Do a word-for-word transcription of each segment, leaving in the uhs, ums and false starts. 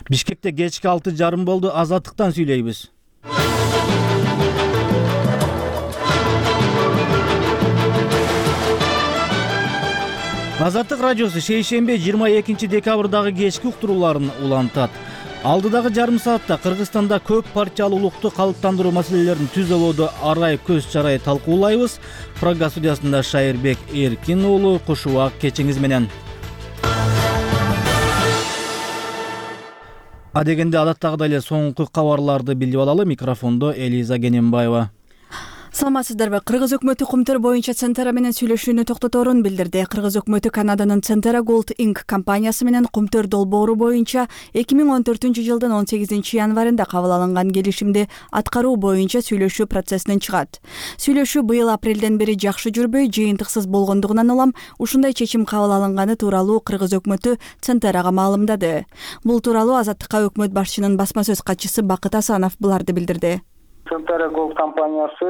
Бишкекте кечки алты жарым болду. Азаттыктан сүйлөйбүз. Азаттык радиосу шейшембе жыйырма экинчи декабрдагы кечки уктурууларын улантат. Алдыдагы жарым саатта Кыргызстанда көп партиялуулукту калыптандыруу маселелерин түз ободо арай көз чарай талкуулайбыз. Программа студиясында Шайырбек Эркин уулу, куш убак кечиңиз менен. Адегенде адаттагыдай эле соңку кабарларды билип алалы. Микрофондо Элиза Кененбаева. Саламатсыздарбы? Кыргыз өкмөтү Кумтөр боюнча Центера менен сүйлөшүүнү токтоторун билдирди. Кыргыз өкмөтү Канаданын Центера Gold инк компаниясы менен Кумтөр долбоору боюнча эки миң он төртүнчү жылдын он сегизинчи январында кабыл алынган келишимди аткаруу боюнча сүйлөшүү процессинен чыгат. Сүйлөшүү быйыл апрелден бери жакшы жүрбөй, жыйынтыксыз болгондугунан улам ушундай чечим кабыл алынганы тууралуу Кыргыз өкмөтү Центерага маалымдады. Бул тууралуу Азаттыкка өкмөт башчынын басма сөз катчысы Бакыт Асанов буларды билдирди. Центера Gold компаниясы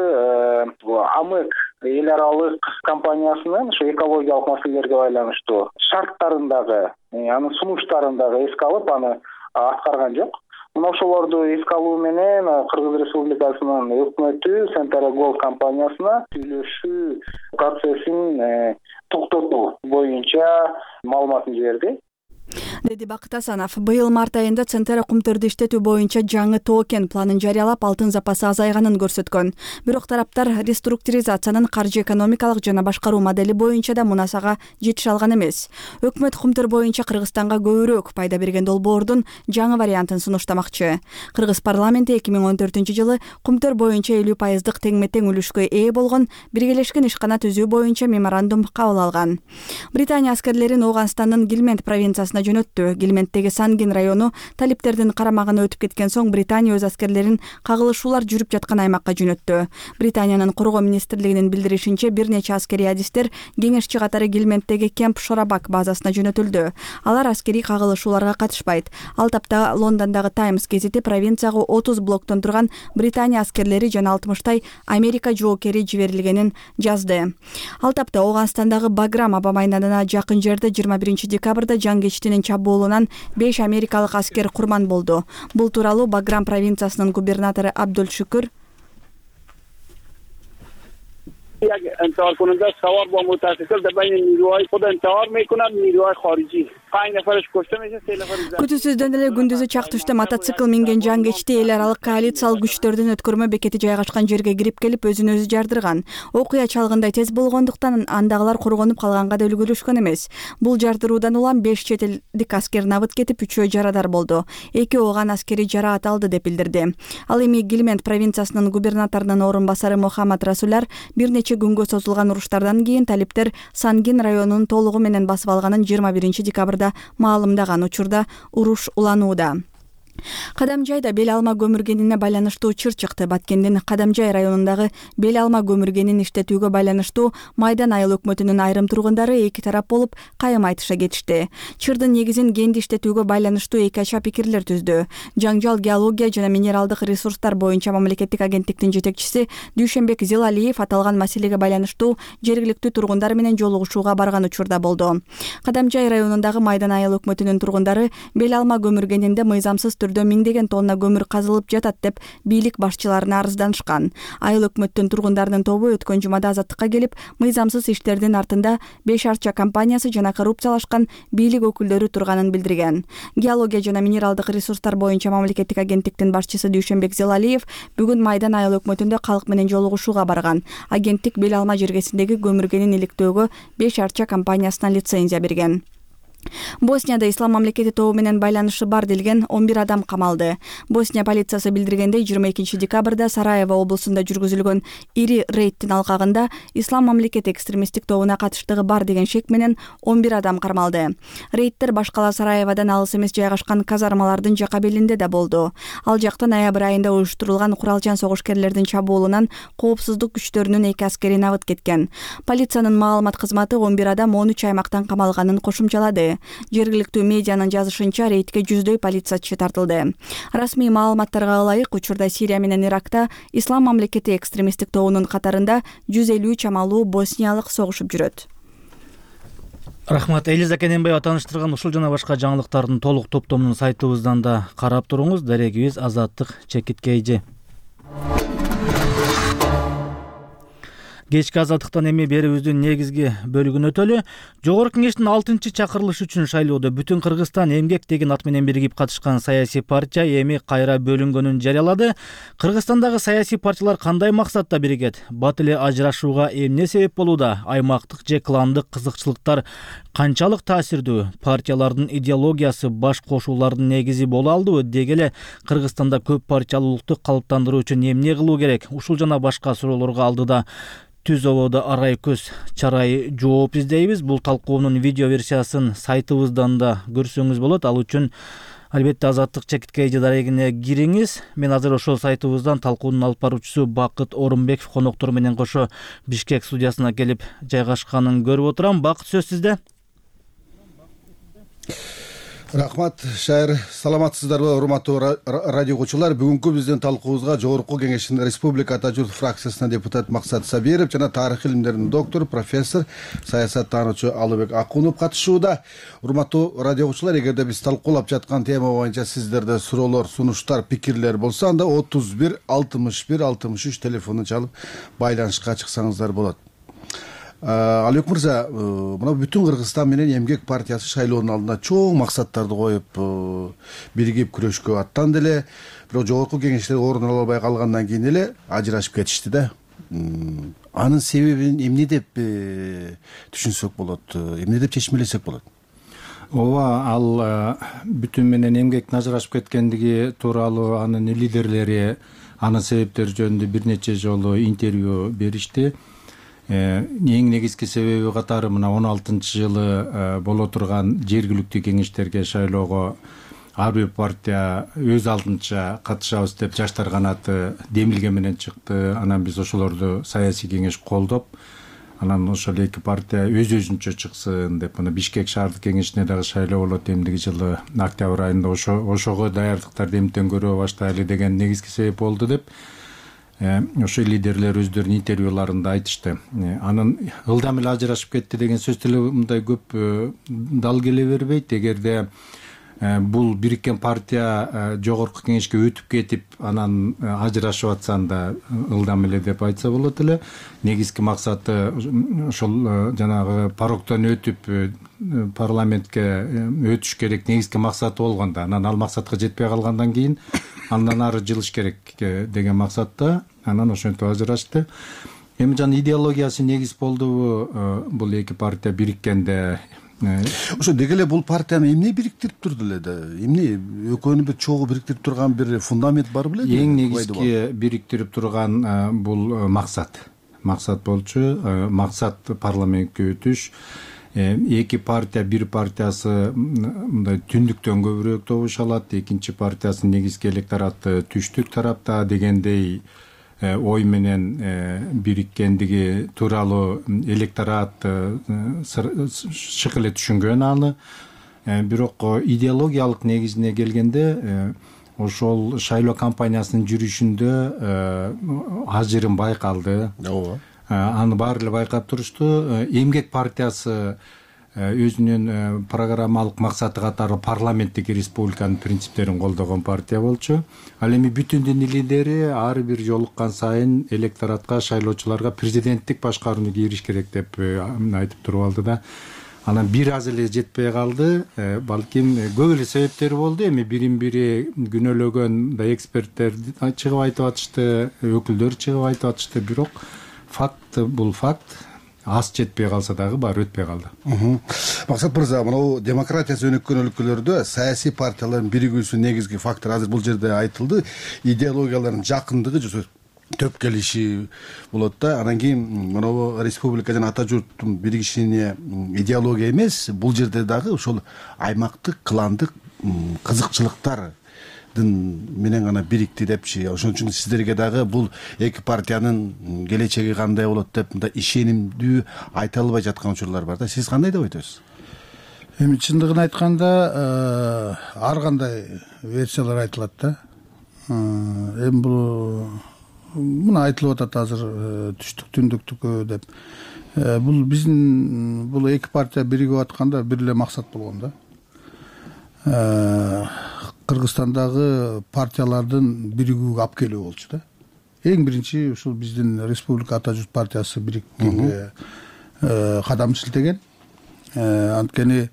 АМЭК эл аралык компаниясынын ушу экологиялык маселелерге байланыштуу шарттарындагы, анын сунуштарындагы эске алып, аны аткарган жок. Мына ошолорду эске алуу менен Кыргыз Республикасынын өкмөтү Центера Gold компаниясына сүйлөшүү процессин токтотуу боюнча маалыматын жиберди, деди Бакыт Асанов. Быйыл март айында Центера Кумтөрдү иштетүү боюнча жаңы токен планын жарыялап, алтын запасы азайганын көрсөткөн. Бирок тараптар реструктуризациянын каржы экономикалык жана башкаруу модели боюнча да мунасага жетише алган эмес. Өкмөт Кумтөр боюнча Кыргызстанга көбүрөөк пайда берген долбоордун жаңы вариантын сунуштамакчы. Кыргыз парламенти эки миң он төртүнчү жылы Кумтөр боюнча элүү пайыздык теңме-тең үлүшкө ээ болгон биргелешкен ишкана түзүү боюнча меморандум кабыл алган. Британия аскерлерин Ооганстандын Гилмент провинциясына жөнөттү. Гилменттеги Сангин району талиптердин карамагына өтүп кеткен соң Британия өз аскерлерин кагылышуулар жүрүп жаткан аймакка жөнөттү. Британиянын коргоо министрлигинин билдиришинче, бир нече аскерий адистер кеңешчи катары Гилменттеги Кемп Шорабак базасына жөнөтүлдү. Алар аскерий кагылышууларга катышпайт. Ал тапта Лондондогу Таймс гезити провинцияга отуз блоктон турган Британия аскерлери жана алтымыштай Америка жоокери жиберилгенин жазды. Ал тапта Ооганстандагы Баграм аба майданына жакын жерде жыйырма биринчи декабрда жангечтинин чабуулунан беш америкалык аскер курман болду. Бул тууралуу Баграм провинциясынын губернатору Абдул Шүкүр انتحار کننده سوار با موتورسیکل در بین نیروهای خود انتحار میکنند، نیروهای خارجی پنج نفرش کشته میشه، سه نفر زخمی. Күтүүсүздөн эле күндүзү чактышты мотоцикл минген жангечти эл аралык коалициялык күчтөрдүн өткөрмө бекети жайгашкан жерге кирип келип өзүн өзү жардырган. Окуя чалгындай тез болгондуктан андагылар коргонуп калганга да үлгүрүшкөн эмес. Бул жардыруудан улам беш чет элдик аскер набыт кетип, үчөө жарадар болду. Эки ооган аскери жараат алды деп билдирди. Ал эми Гилмент провинциясынын губернаторунун орун басары Мухаммад Расуляр бир нече күнгө созулган уруштардан кийин талиптер Сангин районунун толугу менен басып алганын жыйырма биринчи декабрда маалымдаган. Учурда уруш уланууда. Кадамжайда бел алма көмүргенине байланыштуу чыр чыкты. Баткендин Кадамжай районундагы бел алма көмүргенин иштетүүгө байланыштуу Майдан айыл өкмөтүнүн айрым тургундары эки тарап болуп кайым айтыша кетишти. Чырдын негизин кенди иштетүүгө байланыштуу эки ача пикирлер түздү. Жаңжал геология жана минералдык ресурстар боюнча мамлекеттик агенттиктин жетекчиси Дүйшөнбек Зилалиев аталган маселеге байланыштуу жергиликтүү тургундар менен жолугушууга барган учурда болду. Кадамжай районундагы Майдан айыл өкмөтүнүн тургундары бел алма көмүргенинде мыйзамсыз түрдө миңдеген тонна көмүр казылып жатат деп бийлик башчыларына арызданышкан. Айыл өкмөттүн тургундарынын тобу өткөн жумада Азаттыкка келип, мыйзамсыз иштердин артында беш арча компаниясы жана коррупциялашкан бийлик өкүлдөрү турганын билдирген. Геология жана минералдык ресурстар боюнча мамлекеттик агенттиктин башчысы Дүйшөнбек Зилалиев бүгүн Майдан айыл өкмөтүндө калк менен жолугушууга барган. Агенттик бел алма жергесиндеги көмүргенин иликтөөгө беш арча компаниясына лицензия берген. Боснияда ислам мамлекети тобу менен байланышы бар делген он бир адам камалды. Босния полициясы билдиргендей, жыйырма экинчи декабрда Сараево облусунда жүргүзүлгөн ири рейдтин алкагында ислам мамлекети экстремисттик тобуна катыштыгы бар деген шек менен он бир адам кармалды. Рейдтер башкала Сараеводон алыс эмес жайгашкан казармалардын жака белинде да болду. Ал жакта ноябрь айында уюштурулган куралчан согушкерлердин чабуулунан коопсуздук күчтөрүнүн эки аскери набыт кеткен. Полициянын маалымат кызматы он бир адам он үч аймактан камалганын кошумчалады. Жергиликтүү медианын жазышынча, рейдке жүздөй полициячы тартылды. Расмий маалыматтарга ылайык, учурда Сирия менен Иракта ислам мамлекети экстремисттик тобунун катарында жүз элүү чамалуу босниялык согушуп жүрөт. Рахмат. Элиза Кененбаева тааныштырган ушул жана башка жаңылыктардын толук топтомун сайтыбыздан да карап туруңуз. Дарегибиз Азаттык Чекиткейжи. Кечки Азаттыктан эми берүүбүздүн негизги бөлүгүн өтөлү. Жогорку кеңештин алтынчы чакырылышы үчүн шайлоодо Бүтүн Кыргызстан эмгек деген ат менен биригип катышкан саясий партия эми кайра бөлүнгөнүн жарыялады. Кыргызстандагы саясий партиялар кандай максатта биригет? Бат эле ажырашууга эмне себеп болууда? Аймактык же кландык кызыкчылыктар канчалык таасирдүү? Партиялардын идеологиясы баш кошуулардын негизи боло алдыбы? Деги эле Кыргызстанда көп партиялуулукту калыптандыруу үчүн эмне кылуу керек? Ушул жана башка суроолорго алдыда Түз ободо арай көз чарай жооп издейбиз. Бул талкуунун видео версиясын сайтыбыздан да көрсөңүз болот. Ал үчүн албетте Азаттык Чекиткейжи дарегине кириңиз. Мен азыр ошол сайтыбыздан талкуунун алып баруучусу Бакыт Орунбеков коноктор менен кошо Бишкек студиясына келип жайгашканын көрүп отурам. Бакыт, сөз сизде. Рахмат, Шайыр. Саламатсыздарбы, урматтуу радио угуучулар? Бүгүнкү биздин талкуубузга Жогорку Кеңештин Республика Ата журт фракциясынан депутат Максат Сабиров жана тарых илимдеринин доктору, профессор, саясаттануучу Алыбек Акунов катышууда. Урматтуу радио угуучулар, эгерде биз талкуулап жаткан тема боюнча сиздерде суроолор, сунуштар, пикирлер болсо, анда отуз бир алтымыш бир алтымыш үч телефонун чалып байланышка чыксаңыздар болот. Алыбек мырза, мына Бүтүн Кыргызстан менен эмгек партиясы шайлоонун алдына чоң максаттарды коюп биригип күрөшкө аттанды эле. Бирок жогорку кеңештер орун ала албай калгандан кийин эле ажырашып кетишти да. Анын себебин эмне деп түшүнсөк болот? Эмне деп чечмелесек болот? Ооба, ал Бүтүн менен эмгектин ажырашып кеткендиги тууралуу анын лидерлери анын себептери жөнүндө бир нече жолу интервью беришти. Эң негизги себеби катары мына он алтынчы жылы боло турган жергиликтүү кеңештерге шайлоого ар бир партия өз алдынча катышабыз деп жаштар канаты демилге менен чыкты. Анан биз ошолорду саясий кеңеш колдоп, анан ошол эки партия өз өзүнчө чыксын деп, мына Бишкек шаардык кеңешине дагы шайлоо болот эмдиги жылы октябрь айында, ошо ошого даярдыктарды эмтен көрө баштайлы деген негизги себеп болду деп ошо лидерлер өздөрүнүн интервьюларында айтышты. Анын ылдам эле ажырашып кетти деген сөз деле мындай көп дал келе бербейт. Эгерде бул бириккен партия жогорку кеңешке өтүп кетип, анан ажырашып атсанда ылдам эле деп айтса болот эле. Негизги максаты ошол жанагы пароктон өтүп парламентке өтүш керек негизги максаты болгондо, анан ал максатка жетпей калгандан кийин андан ары жылыш керек деген максатта анан ошентип ажырашты. Эми жана идеологиясы негиз болдубу бул эки партия бириккенде? Ошо деги эле бул партияны эмне бириктирип турду эле да? Эмне экөөнү бир чогуу бириктирип турган бир фундамент бар беле? Эң негизги бириктирип турган бул максат. Максат болчу. Максат парламентке өтүш. Эки партия, бир партиясы мындай түндүктөн көбүрөөк добуш алат, экинчи партиясы негизги электораты түштүк тарапта дегендей ой менен бириккендиги тууралуу электорат шык эле түшүнгөн аны. Бирок идеологиялык негизине келгенде ошол шайлоо кампаниясынын жүрүшүндө ажырым байкалды. Ооба. Аны баары эле байкап турушту. Эмгек партиясы өзүнүн программалык максаты катары парламенттик республиканын принциптерин колдогон партия болчу. Ал эми Бүтүндүн лидери ар бир жолуккан сайын электоратка, шайлоочуларга президенттик башкарууну кийриш керек деп айтып туруп алды да. Анан бир аз эле жетпей калды. Балким көп эле себептери болду. Эми бирин бири күнөөлөгөн да эксперттер чыгып айтып атышты, өкүлдөр чыгып айтып атышты. Бирок факт бул факт. Аз жетпей калса дагы баары өтпөй калды. Максат мырза, мына демократиясы өнүккөн өлкөлөрдө саясий партиялардын биригүүсүнүн негизги фактору азыр бул жерде айтылды. Идеологиялардын жакындыгы же төп келиши болот да. Анан кийин мына республика жана ата журттун биригишине идеология эмес, бул жерде дагы ошол аймактык, кландык кызыкчылыктар менен гана бирикти депчи. Ошон үчүн сиздерге дагы бул эки партиянын келечеги кандай болот деп мындай ишенимдүү айта албай жаткан учурлар бар да. Сиз кандай деп айтасыз? Эми чындыгын айтканда, ар кандай версиялар айтылат да. Эми бул мына айтылып атат азыр түштүк түндүктүккө деп. бул биздин бул эки партия биригип атканда бир эле максат болгон да. Кыргызстандагы партиялардын биригүүгө алып келүү болчу да. Эң биринчи ушул биздин Республика Ата журт партиясы бириккенге кадам силтеген. Анткени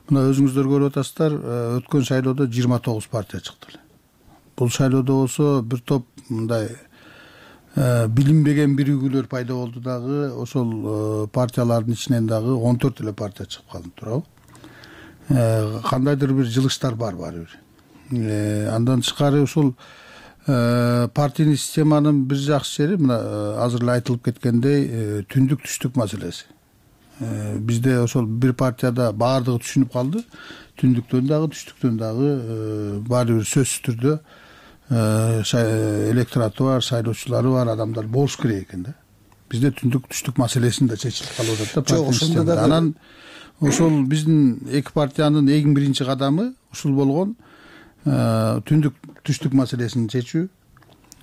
мына өзүңүздөр көрүп атасыздар, өткөн шайлоодо жыйырма тогуз партия чыкты. Бул шайлоодо болсо бир топ мындай билинбеген биригүүлөр пайда болду дагы, ошол партиялардын ичинен дагы он төрт эле партия чыгып калды туурабы. Кандайдыр бир жылыштар бар баары бир. Андан тышкары ушул партийный системанын бир жакшы жери мына азыр эле айтылып кеткендей түндүк түштүк маселеси. Бизде ошол бир партияда баардыгы түшүнүп калды. Түндүктөн дагы түштүктөн дагы баары бир сөзсүз түрдө электораты бар, шайлоочулары бар адамдар болуш керек экен да. Бизде түндүк түштүк маселесин да чечилип калып атат да. Ошондо дагы анан ошол биздин эки партиянын эң биринчи кадамы ушул болгон түндүк түштүк маселесин чечүү,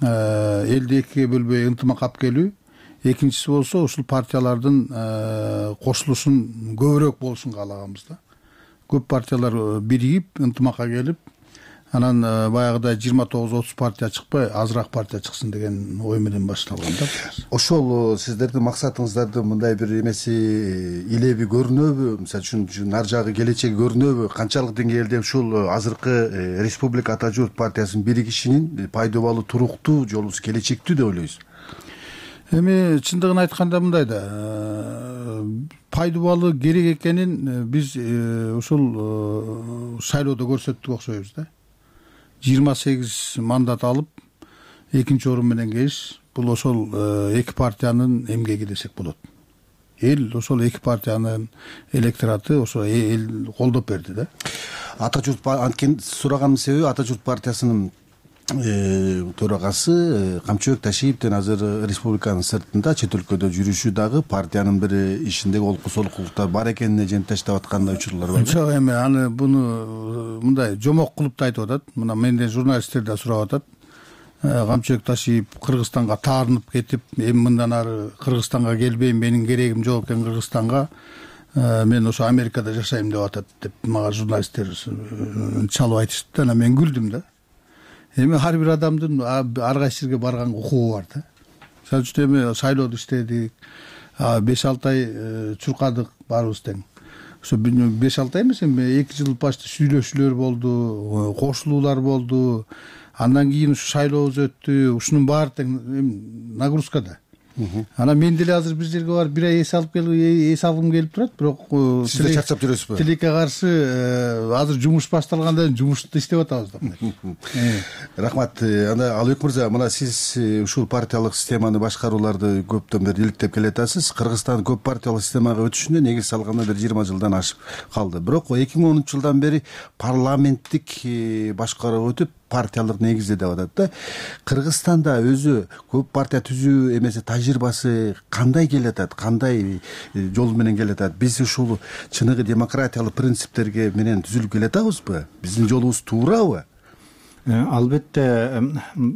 элди экиге бөлбөй ынтымак алып келүү. Экинчиси болсо ушул партиялардын кошулушун көбүрөөк болушун каалаганбыз да. Көп партиялар биригип ынтымакка келип, анан баягыдай жыйырма тогуз отуз партия чыкпай азыраак партия чыксын деген ой менен башталган да. Ошол сиздердин максатыңыздардын мындай бир эмеси илеби көрүнөбү? Мисалы үчүн нар жагы келечеги көрүнөбү? Канчалык деңгээлде ушул азыркы Республика Ата журт партиясынын биригишинин пайдалуу, туруктуу жолу келечектүү деп ойлойсуз? Эми чындыгын айтканда мындай да, пайдалуу керек экенин биз ушул шайлоодо көрсөттүк окшойбуз да. жыйырма сегиз мандат алып, экинчи орун менен келиш, бул ошол эки партиянын эмгеги десек болот. Эл ошол эки партиянын электораты ошо эл колдоп берди да. Ата журт анткени сураганымдын себеби Ата журт партиясынын төрагасы Камчыбек Ташиевден азыр республиканын сыртында чет өлкөдө жүрүшү дагы партиянын бир ишиндеги олку солкулуктар бар экенине жентештеп аткандай учурлар бар. Жок, эми аны буну мындай жомок кылып да айтып атат. Мына менден журналисттер да сурап атат. Камчыбек Ташиев Кыргызстанга таарынып кетип, эми мындан ары Кыргызстанга келбейм, менин керегим жок экен Кыргызстанга. Мен ошо Америкада жашайм деп атат деп мага журналисттер чалып айтышты. Анан мен күлдүм да. Эми ар бир адамдын ар кайсы жерге барган укугу бар да. Мисалы үчүн эми шайлоодо иштедик, беш алты ай чуркадык баарыбыз тең. Ошо беш алты ай эмес, эми эки жыл почти сүйлөшүүлөр болду, кошулуулар болду. Андан кийин ушу шайлообуз өттү. Ушунун баары тең нагрузкада. Анан мен деле азыр бир жерге барып бир ай эс алып келип, эс алгым келип турат, бирок сиз да чарчап жүрөсүзбү? Тилекке каршы азыр жумуш башталганда жумушту иштеп атабыз да. Рахмат. Анда Алыбек мырза, мына сиз ушул партиялык системаны башкарууларды көптөн бери иликтеп келатасыз. Кыргызстан көп партиялык системага өтүшүнө негиз салганда бир жыйырма жылдан ашып калды. Бирок эки миң онунчу жылдан бери парламенттик башкаруу өтүп, партиялык негизде деп атат да. Кыргызстанда өзү көп партия түзүү эмеси тажрыйбасы кандай келатат, кандай жол менен келатат? Биз ушул чыныгы демократиялык принциптерге менен түзүлүп келатабызбы? Биздин жолубуз туурабы? Албетте,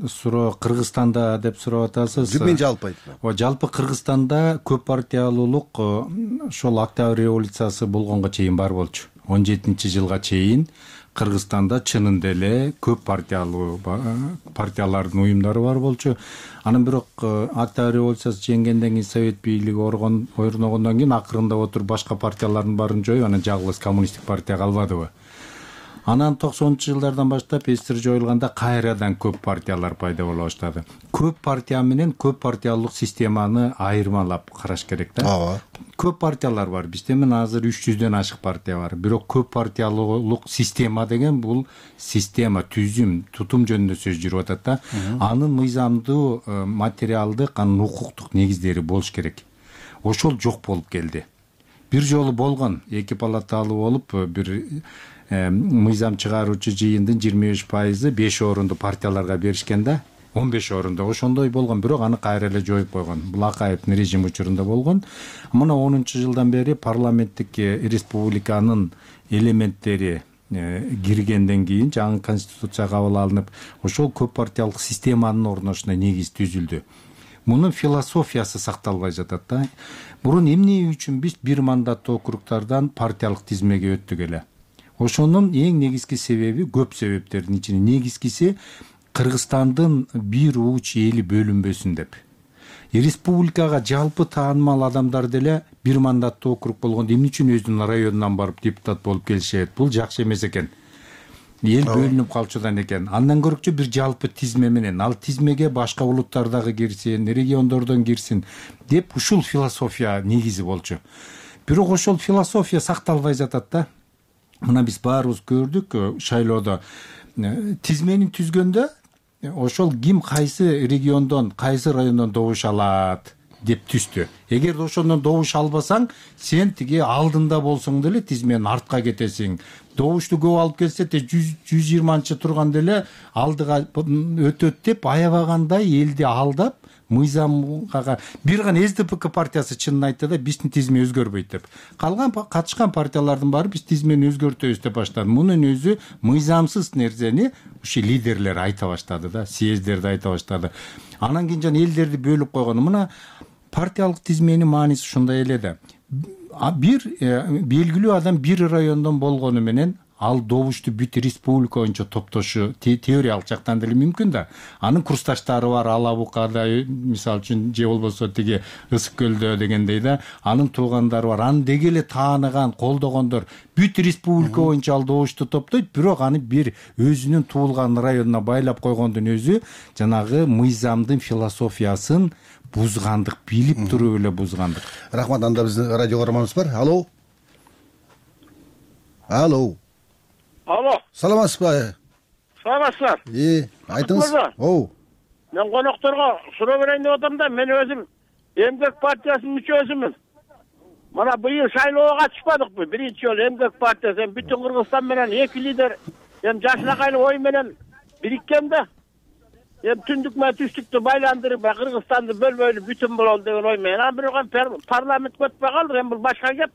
суроо Кыргызстанда деп сурап атасыз. Мен жалпы айтам. О, жалпы Кыргызстанда көп партиялуулук ошол Октябрь революциясы болгонго чейин бар болчу. он жетинчи жылга чейин Кыргызстанда чынында эле көп партиялуу партиялардын уюмдары бар болчу. Анан бирок Октябрь революциясы жеңгенден кийин Совет бийлиги орногондон кийин акырында отуруп башка партиялардын баарын жоюп, анан жалгыз коммунисттик партия калбадыбы. Анан токсонунчу жылдардан баштап СССР жоюлганда кайрадан көп партиялар пайда боло баштады. Көп партия менен көп партиялык системаны айырмалап караш керек да. Ооба. Көп партиялар бар. Бизде мен азыр үч жүздөн ашык партия бар. Бирок көп партиялык система деген бул система, түзүм, тутум жөнүндө сөз жүрүп атат да. Анын мыйзамдуу, материалдык, анын укуктук негиздери болуш керек. Ошол жок болуп келди. Бир жолу болгон, эки палаталуу болуп, бир мыйзам чыгаруучу жыйындын жыйырма беш пайызы беш орунду партияларга беришкен да. он беш орунда ошондой болгон, бирок аны кайра эле жоюп койгон. Бул Акаевдин режим учурунда болгон. Мына онунчу жылдан бери парламенттик республиканын элементтери киргенден кийин жаңы конституция кабыл алынып, ошол көп партиялык системанын орношуна негиз түзүлдү. мунун философиясы сакталбай жатат да. Мурун эмне үчүн биз бир мандаттуу округдардан партиялык тизмеге өттүк эле? Ошонун эң негизги себеби, көп себептердин ичинен негизгиси Кыргызстандын бир уч эли бөлүнбөсүн деп. Республикага жалпы таанымал адамдар деле бир мандаттуу округ болгондо эмне үчүн өзүнүн районунан барып депутат болуп келишет? Бул жакшы эмес экен. Эл бөлүнүп калчудан экен. Андан көрөкчү бир жалпы тизме менен, ал тизмеге башка улуттар дагы кирсин, региондордон кирсин деп ушул философия негизи болчу. Бирок ошол философия сакталбай жатат да. Мына биз баарыбыз көрдүк шайлоодо тизмени түзгөндө ошол ким кайсы региондон, кайсы райондон добуш алат деп түздү. Эгер ошондон добуш албасаң, сен тиги алдында болсоң деле тизменин артка кетесиң. Добушту көп алып келсе те жүз жыйырманчы турган деле алдыга өтөт деп аябагандай элди алдап, мыйзамга бир гана эс дэ пэ ка партиясы чынын айтты да, биздин тизме өзгөрбөйт деп. Калган катышкан партиялардын баары биз тизмени өзгөртөбүз деп баштады. Мунун өзү мыйзамсыз нерсени ушу лидерлер айта баштады да, съездерде айта баштады. Анан кийин жана элдерди бөлүп койгону. Мына партиялык тизменин мааниси ушундай эле да. Бир белгилүү адам бир райондон болгону менен ал добушту бүт республика боюнча топтошу теориялык жактан деле мүмкүн да. Анын курсташтары бар, Ала Букада, мисалы үчүн, же болбосо тиги Ысык көлдө дегендей да, анын туугандары бар. Аны деги эле тааныган, колдогондор бүт республика боюнча ал добушту топтойт, бирок аны бир өзүнүн туулган районуна байлап койгондун өзү жанагы мыйзамдын философиясын бузгандык, билип туруп эле бузгандык. Рахмат. Анда биздин радио көрөрманыбыз бар. Алло. Алло. Алло. Саламатсызбы? Саламатсыздар. Э, айтыңыз. Оу. Мен конокторго суроо берейин деп атам да, мен өзүм Эмгек партиясынын мүчөсүмүн. Мына быйыл шайлоого катышпадыкпы? Биринчи жолу Эмгек партиясы, бүтүн Кыргызстан менен эки лидер, эми жашынакайлык ой менен бириккен да. Эми түндүк менен түштүктү байландырып, Кыргызстанды бөлбөйлү бүтүн бололу деген ой менен. Анан бирок парламентке өтпөй калдык, эми бул башка кеп.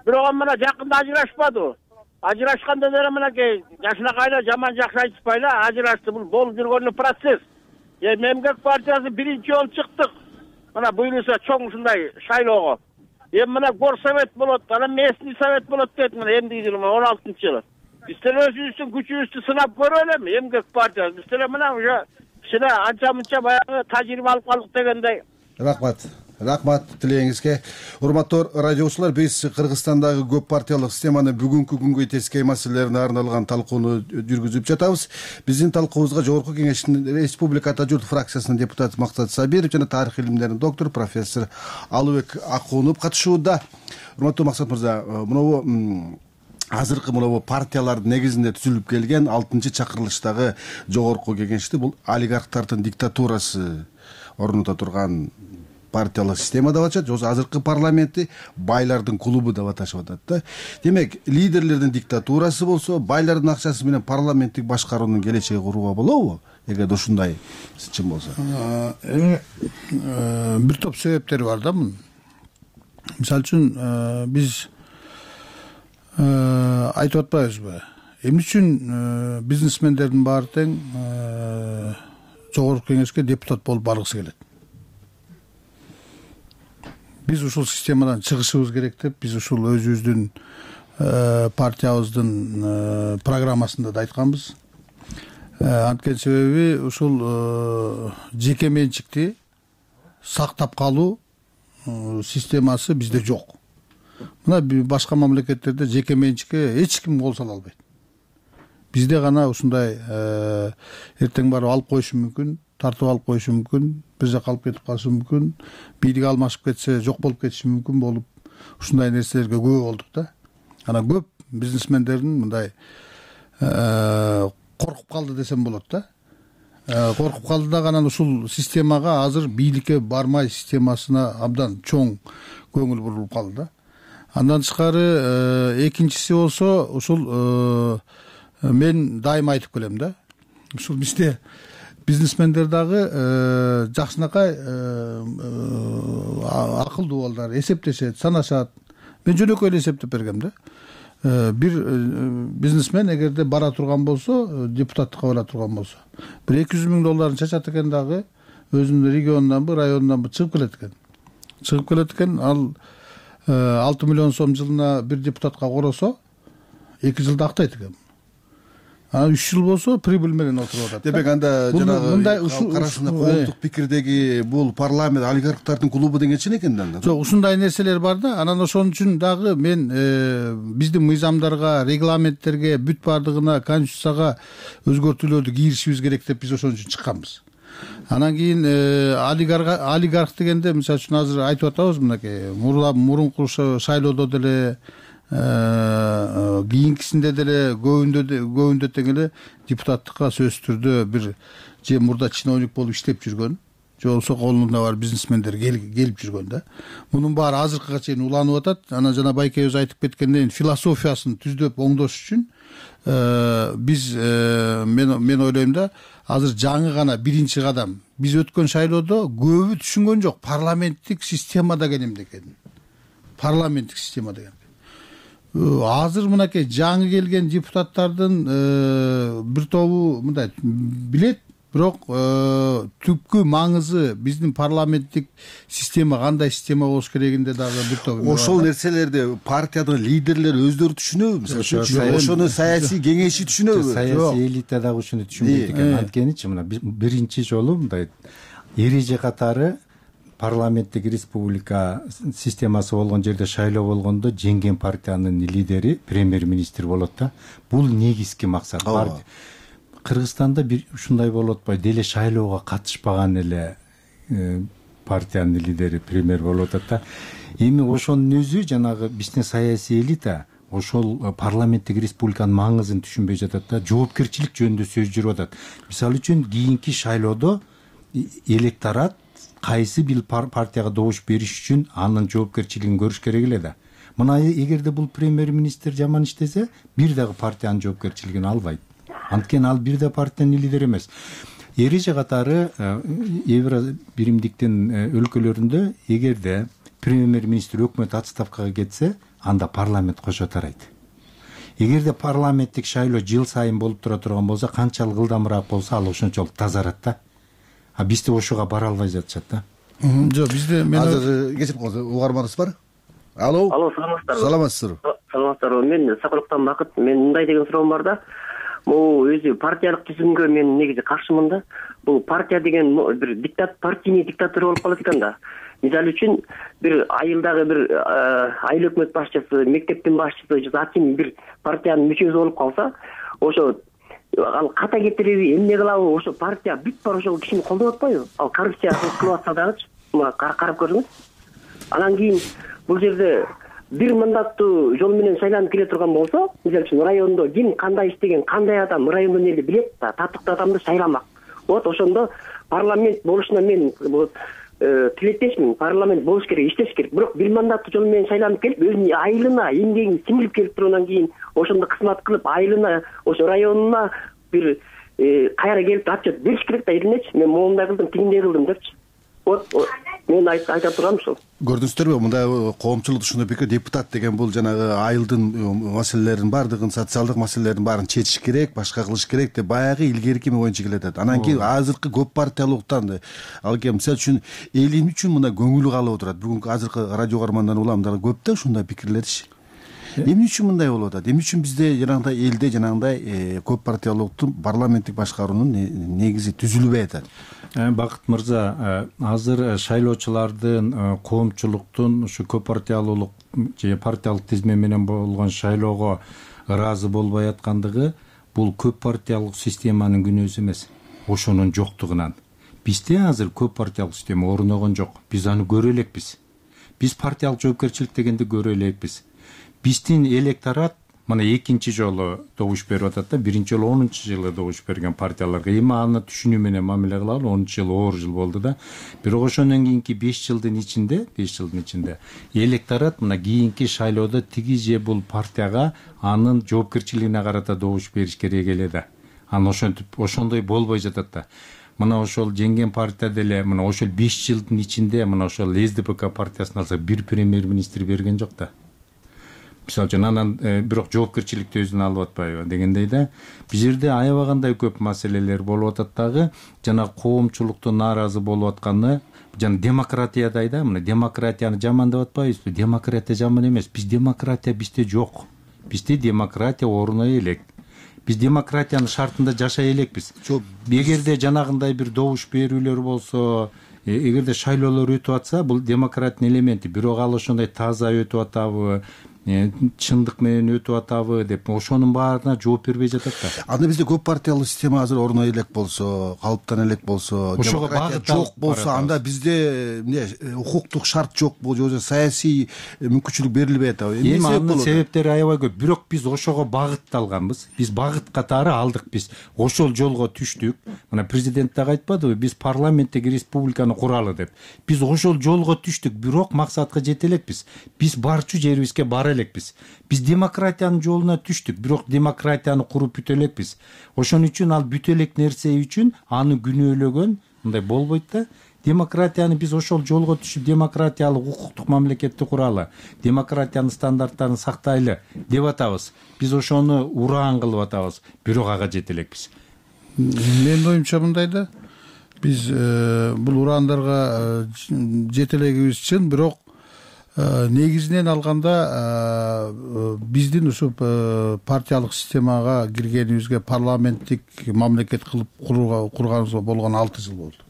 Бирок мына жакында ажырашпады. Ажырашканда деле мынакей жашынакайлар жаман жакшы айтышпайлы, ажырашты. Бул болуп жүргөн процесс. Эми Эмгек партиясы биринчи жолу чыктык. Мына буюрса чоң ушундай шайлоого. Эми мына горсовет болот, анан местный совет болот дейт мына эмдиги жылы он алтынчы жылы. Биз деле өзүбүздүн күчүбүздү сынап көрөлү эми Эмгек партиясы. Биз деле мына уже кичине анча-мынча баягы тажрыйба алып калдык дегендей. Рахмат. Рахмат тилегиңизге. Урматтуу радиочулар, биз Кыргызстандагы көп партиялык системаны бүгүнкү күнгө тескей маселелерине арналган талкууну жүргүзүп жатабыз. Биздин талкуубузга Жогорку Кеңештин Республика Ата журт фракциясынын депутаты Максат Сабиров жана тарых илимдеринин доктору профессор Алыбек Акунов катышууда. Урматтуу Максат мырза, мынабу азыркы мынабу партиялардын негизинде түзүлүп келген алтынчы чакырылыштагы Жогорку Кеңешти бул олигархтардын диктатурасы орнута турган партиялык система деп атышат, же азыркы парламентти байлардын клубу деп аташып атат да. Демек, лидерлердин диктатурасы болсо, байлардын акчасы менен парламенттик башкаруунун келечеги курууга болобу? Эгерде ушундай чын болсо. Эми бир топ себептери бар да мунун. Мисалы үчүн биз айтып атпайбызбы? Эмне үчүн бизнесмендердин баары тең Жогорку Кеңешке депутат болуп баргысы келет? Биз ушул системадан чыгышыбыз керек деп, биз ушул өзүбүздүн партиябыздын программасында да айтканбыз. Анткени себеби ушул жеке менчикти сактап калуу системасы бизде жок. Мына башка мамлекеттерде жеке менчикке эч ким кол сала албайт. Бизде гана ушундай эртең барып алып коюшу мүмкүн, тартып алып коюшу мүмкүн, бир жака алып кетип калышы мүмкүн, бийлик алмашып кетсе жок болуп кетиши мүмкүн болуп, ушундай нерселерге күбө болдук да. Анан көп бизнесмендердин мындай коркуп калды десем болот да. Коркуп калды да, анан ушул системага азыр бийликке бармай системасына абдан чоң көңүл бурулуп калды да. Андан тышкары экинчиси болсо ушул мен дайыма айтып келем да. Ушул бизде бизнесмендер дагы жакшынакай акылдуу балдар, эсептешет, санашат. Мен жөнөкөй эле эсептеп бергем да. Бир бизнесмен эгерде бара турган болсо, депутаттыкка бара турган болсо, бир эки жүз миң долларын чачат экен дагы, өзүнүн регионунанбы районунанбы чыгып келет экен чыгып келет экен ал алты миллион сом жылына бир депутатка коросо эки жылда актайт экен. Анан үч жыл болсо прибыль менен отуруп атат. Демек анда жанагы мындай ушул арасында коомдук пикирдеги бул парламент олигархтардын клубу дегенче экен да анда. Жок, ушундай нерселер бар да. Анан ошон үчүн дагы мен биздин мыйзамдарга, регламенттерге, бүт баардыгына, конституцияга өзгөртүүлөрдү киришибиз керек деп биз ошон үчүн чыкканбыз. Анан кийин олигарх олигарх дегенде мисалы үчүн азыр айтып атабыз мынакей мурунку шайлоодо деле кийинкисинде деле көбүндө көбүндө тең эле депутаттыкка сөзсүз түрдө бир же мурда чиновник болуп иштеп жүргөн же болбосо колунда бар бизнесмендер келип жүргөн да. Мунун баары азыркыга чейин уланып атат. Анан жана Байке өзү айтып кеткендей философиясын түздөп оңдош үчүн биз мен мен ойлойм да азыр жаңы гана биринчи кадам. Биз өткөн шайлоодо көбү түшүнгөн жок парламенттик система деген эмне экенин. Парламенттик система деген. Азыр мынакей жаңы келген депутаттардын бир тобу мындай билет, бирок түпкү маңызы биздин парламенттик система кандай система болуш керегинде дагы бир топ. Ошол нерселерди партиянын лидерлери өздөрү түшүнөбү? Мисалы ошону саясий кеңеши түшүнөбү? Саясий элита дагы ушуну түшүнбөйт экен. Анткеничи мына биринчи жолу мындай эреже катары парламенттик республика системасы болгон жерде шайлоо болгондо жеңген партиянын лидери премьер-министр болот да. Бул негизги максат. Кыргызстанда бир ушундай болуп атпайбы? Деле шайлоого катышпаган эле партиянын лидери премьер болуп атат да. Эми ошонун өзү жанагы биздин саясий элита ошол парламенттик республиканын маңызын түшүнбөй жатат да. Жоопкерчилик жөнүндө сөз жүрүп атат. Мисалы үчүн кийинки шайлоодо электорат кайсы бир партияга добуш бериш үчүн анын жоопкерчилигин көрүш керек эле да. Мына эгерде бул премьер-министр жаман иштесе, бир дагы партиянын жоопкерчилигин албайт. Анткени ал бир да партиянын лидери эмес. Эреже катары Евро биримдиктин өлкөлөрүндө эгерде премьер-министр өкмөт отставкага кетсе, анда парламент кошо тарайт. Эгерде парламенттик шайлоо жыл сайын болуп тура турган болсо, канчалык ылдамыраак болсо, ал ошончолук тазарат да. А бизде ошого бара албай жатышат да. Жок, бизде мен азыр кечип калды. Угарманыбыз бар. Алло. Алло, саламатсыздарбы? Саламатсызбы? Саламатсыздарбы? Мен Сакылыктан Бакыт. Мен мындай деген суроом бар да. Бул өзү партиялык түзүмгө мен негизи каршымын да. Бул партия деген бир диктат, партийный диктатура болуп калат экен да. Мисалы үчүн бир айылдагы бир айыл өкмөт башчысы, мектептин башчысы, же аким бир партиянын мүчөсү болуп калса, ошо ал ката кетириби, эмне кылабы, ошо партия бүт бар ошол кишини колдоп атпайбы? Ал коррупция кылып атса дагычы, мына карап көрүңүз. Анан кийин бул жерде бир мандаттуу жол менен шайланып келе турган болсо, мисалы үчүн райондо ким кандай иштеген, кандай адам райондон эле билет да, татыктуу адамды шайламак. Вот ошондо парламент болушуна мен тилектешмин. Парламент болуш керек, иштеш керек. Бирок бир мандаттуу жол менен шайланып келип, өзүнүн айылына эмгегин сиңирип келип тургандан кийин ошондо кызмат кылып, айылына, ошо районуна бир кайра келип отчет бериш керек да, элинечи. Мен моундай кылдым, тигиндей кылдым депчи. Вот мен айта тургам ушул. Көрдүңүздөрбү, мындай коомчулук ушундай пикир, депутат деген бул жанагы айылдын маселелерин баардыгын, социалдык маселелердин баарын чечиш керек, башка кылыш керек деп баягы илгерки боюнча келатат. Анан кийин азыркы көп партиялыктан ал кээ мисалы үчүн элин үчүн мына көңүлү калып отурат. Бүгүнкү азыркы радио угармандан улам дагы көп да ушундай пикирлерчи. Эмне үчүн мындай болуп атат? Эмне үчүн бизде жанагындай элде жанагындай көп партиялыктын парламенттик башкаруунун негизи түзүлбөй атат? Бакыт мырза, азыр шайлоочулардын, коомчулуктун ушу көп партиялуулук же партиялык тизме менен болгон шайлоого ыраазы болбой аткандыгы бул көп партиялык системанын күнөөсү эмес, ошонун жоктугунан. Бизде азыр көп партиялык система орногон жок. Биз аны көрө элекпиз. Биз партиялык жоопкерчилик дегенди көрө элекпиз. Биздин электорат мына экинчи жолу добуш берип атат да, биринчи жолу онунчу жылы добуш берген партияларга. Эми аны түшүнүү менен мамиле кылалы, онунчу жыл оор жыл болду да. Бирок ошондон кийинки беш жылдын ичинде, беш жылдын ичинде электорат мына кийинки шайлоодо тиги же бул партияга анын жоопкерчилигине карата добуш бериш керек эле да. Аны ошентип ошондой болбой жатат да. Мына ошол жеңген партия деле мына ошол беш жылдын ичинде мына ошол СДПК партиясын алсак бир премьер-министр берген жок да. мисалы үчүн анан бирок жоопкерчиликти өзүнө алып атпайбы дегендей да. Бул жерде аябагандай көп маселелер болуп атат дагы. Жана коомчулуктун нааразы болуп атканы жана демократиядай да. Мына демократияны жамандап атпайбызбы? Демократия жаман эмес. Биз демократия бизде жок. Бизде демократия оруна элек. Биз демократиянын шартында жашай элекпиз. Эгерде жанагындай бир добуш берүүлөр болсо, эгерде шайлоолор өтүп атса, бул демократиянын элементи. Бирок ал ошондой таза өтүп атабы, чындык менен өтүп атабы деп ошонун баарына жооп бербей жатат да. Анда бизде көп партиялуу система азыр оруна элек болсо, калыптана элек болсо, ошого багыт жок болсо, анда бизде эмне укуктук шарт жокпу, же саясий мүмкүнчүлүк берилбей атабы? Эми анын себептери аябай көп. Бирок биз ошого багытталганбыз. Биз багыт катары алдык. Биз ошол жолго түштүк. Мына президент дагы айтпадыбы, биз парламенттеги республиканы куралы деп. Биз ошол жолго түштүк, бирок максатка жете элекпиз. Биз барчу жерибизге бара элекпиз. Биз демократиянын жолуна түштүк, бирок демократияны куруп бүтө элекпиз. Ошон үчүн ал бүтө элек нерсе үчүн аны күнөөлөгөн мындай болбойт да. Демократияны биз ошол жолго түшүп, демократиялык укуктук мамлекетти куралы, демократиянын стандарттарын сактайлы деп атабыз. Биз ошону ураан кылып атабыз, бирок ага жете элекпиз. Менин оюмча мындай да, биз бул ураандарга жете элегибиз чын, бирок негизинен алганда биздин ушу партиялык системага киргенибизге, парламенттик мамлекет кылып курганыбызга болгон алты жыл болду.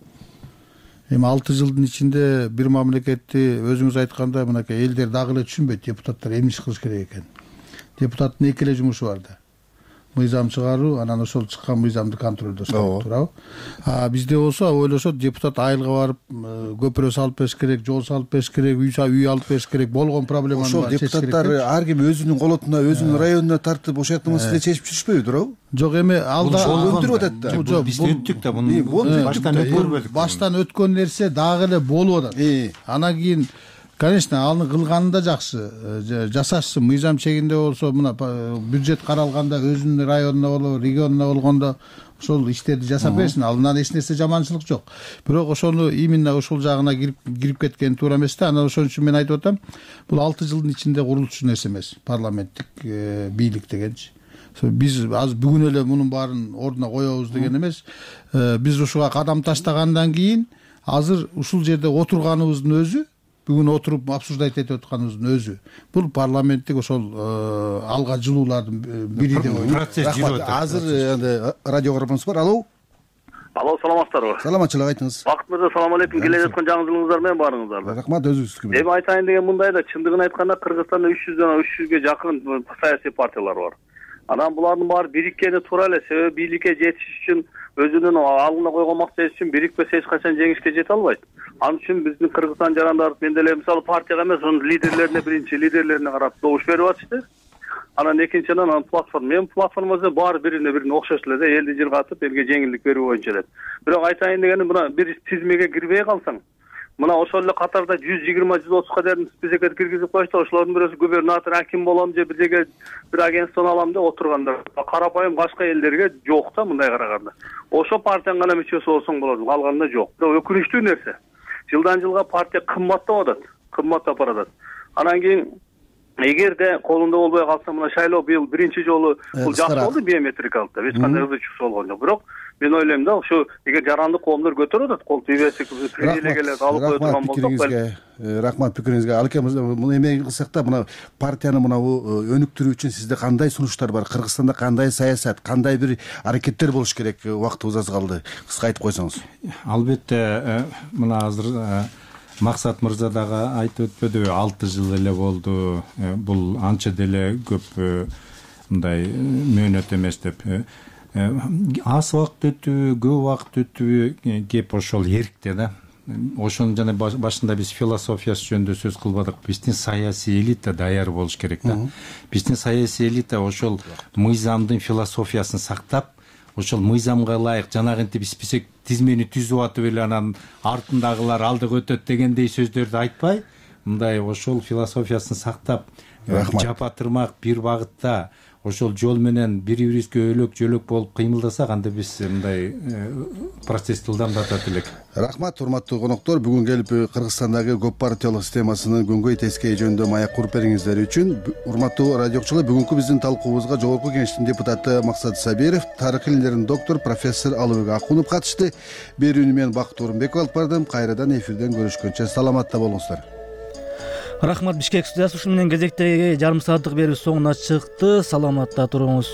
Эми алты жылдын ичинде бир мамлекетти өзүңүз айткандай мынакей элдер дагы эле түшүнбөйт, депутаттар эмне иш кылыш керек экен. Депутаттын эки эле жумушу бар да. Мыйзам чыгаруу, анан ошол чыккан мыйзамды контролдоо, туурабы? А бизде болсо ойлошот, депутат айылга барып көпүрө салып бериш керек, жол салып бериш керек, үй алып бериш керек, болгон проблеманы ошол депутаттар ар ким өзүнүн колотуна, өзүнүн районуна тартып ошол маселе чечип жүрүшпөйбү, туурабы? Жок, эми алда өндүрүп атат да. Жок, биз өттүк да, муну баштан өткөрбөдүк. Баштан өткөн нерсе дагы эле болуп атат. Анан кийин конечно, аны кылганы да жакшы, жасашсын, мыйзам чегинде болсо, мына бюджет каралганда өзүнүн районуна болобу, регионуна болгондо ошол иштерди жасап берсин. Алынан эч нерсе жаманчылык жок. Бирок ошону именно ошол жагына кирип кирип кеткен туура эмес да. Анан ошон үчүн мен айтып атам, бул алты жылдын ичинде курулчу нерсе эмес, парламенттик бийлик дегенчи. Биз азыр бүгүн эле мунун баарын ордуна коебуз деген эмес. Биз ушуга кадам таштагандан кийин азыр ушул жерде отурганыбыздын өзү, бүгүн отуруп обсуждать этип атканыбыздын өзү, бул парламенттик ошол алга жылуулардын бири деп ойлойм. Процесс жүрүп атат. Азыр радио көрөрмөнүбүз бар. Алло. Алло, саламатсыздарбы? Саламатчылык, айтыңыз. Бакыт мырза, салам алейкум. Келе жаткан жаңы жылыңыздар менен баарыңыздарды. Рахмат, өзүңүздүкү. Эми айтайын деген мындай да, чындыгын айтканда Кыргызстанда үч жүздөн үч жүзгө жакын саясий партиялар бар. Анан булардын баары бириккени туура эле, себеби бийликке жетиш үчүн өзүнүн алдына койгон максаты үчүн бирикпесе эч качан жеңишке жете албайт. Ал үчүн биздин Кыргызстан жарандары мен деле мисалы партияга эмес, анын лидерлерине, биринчи лидерлерине карап добуш берип атышты. Анан экинчиден анан платформа, мен платформасы баары бирине бирине окшош эле да, элди жыргатып, элге жеңилдик берүү боюнча эле. Бирок айтайын дегеним, мына бир тизмеге кирбей калсаң, мына ошол эле катарда жүз жыйырма жүз отузга чейин списокке киргизип коюшту. Ошолордун бирөөсү губернатор, аким болом же бирдеге бир агентствону алам деп отургандар. Карапайым башка элдерге жок да, мындай караганда. Ошо партиянын гана мүчөсү болсоң болот, калганда жок. Бирок өкүнүчтүү нерсе, жылдан жылга партия кымбаттап атат, кымбаттап баратат. Анан кийин эгерде колунда болбой калса, мына шайлоо быйыл биринчи жолу бул жакшы болду, биометрикалык деп, эч кандай ызы чуксу болгон жок. Бирок мен ойлойм да, ушу эгер жарандык коомдор көтөрүп атат, кол тийбесек, привилегиялерди алып кое турган болсок, рахмат пикириңизге. Алке муну эме кылсак да, мына партияны мына өнүктүрүү үчүн сизде кандай сунуштар бар? Кыргызстанда кандай саясат, кандай бир аракеттер болуш керек? Убактыбыз аз калды. Кыска айтып койсоңуз. Албетте, мына азыр Максат мырза дагы айтып өтпөдүбү, алты жыл эле болду. Бул анча деле көп мындай мөөнөт эмес деп. Аз убакыт өтүбү, көп убакыт өтүбү, кеп ошол эркте да. Ошонун жана башында биз философиясы жөнүндө сөз кылбадык. Биздин саясий элита даяр болуш керек да. Биздин саясий элита ошол мыйзамдын философиясын сактап, ошол мыйзамга ылайык жанагынтип список тизмени түзүп атып эле анан артындагылар алдыга өтөт дегендей сөздөрдү айтпай, мындай ошол философиясын сактап, жапа тырмак бир багытта ошол жол менен бири бирибизге өлөк жөлөк болуп кыймылдасак, анда биз мындай процессти ылдамдатат элек. Рахмат, урматтуу коноктор. Бүгүн келип Кыргызстандагы көп партиялык системасынын көңгөй тескей жөнүндө маек куруп бергениңиздер үчүн. Урматтуу радио окуучулар, бүгүнкү биздин талкуубузга Жогорку Кеңештин депутаты Максат Сабиров, тарых илимдеринин доктор профессор Алыбек Акунов катышты. Берүүнү мен Бакыт Орунбеков алып бардым. Кайрадан эфирден көрүшкөнчө саламатта болуңуздар. Рахмат. Бишкек студиясы ушуну менен кезектеги жарым сааттык берүү соңуна чыкты. Саламатта туруңуз.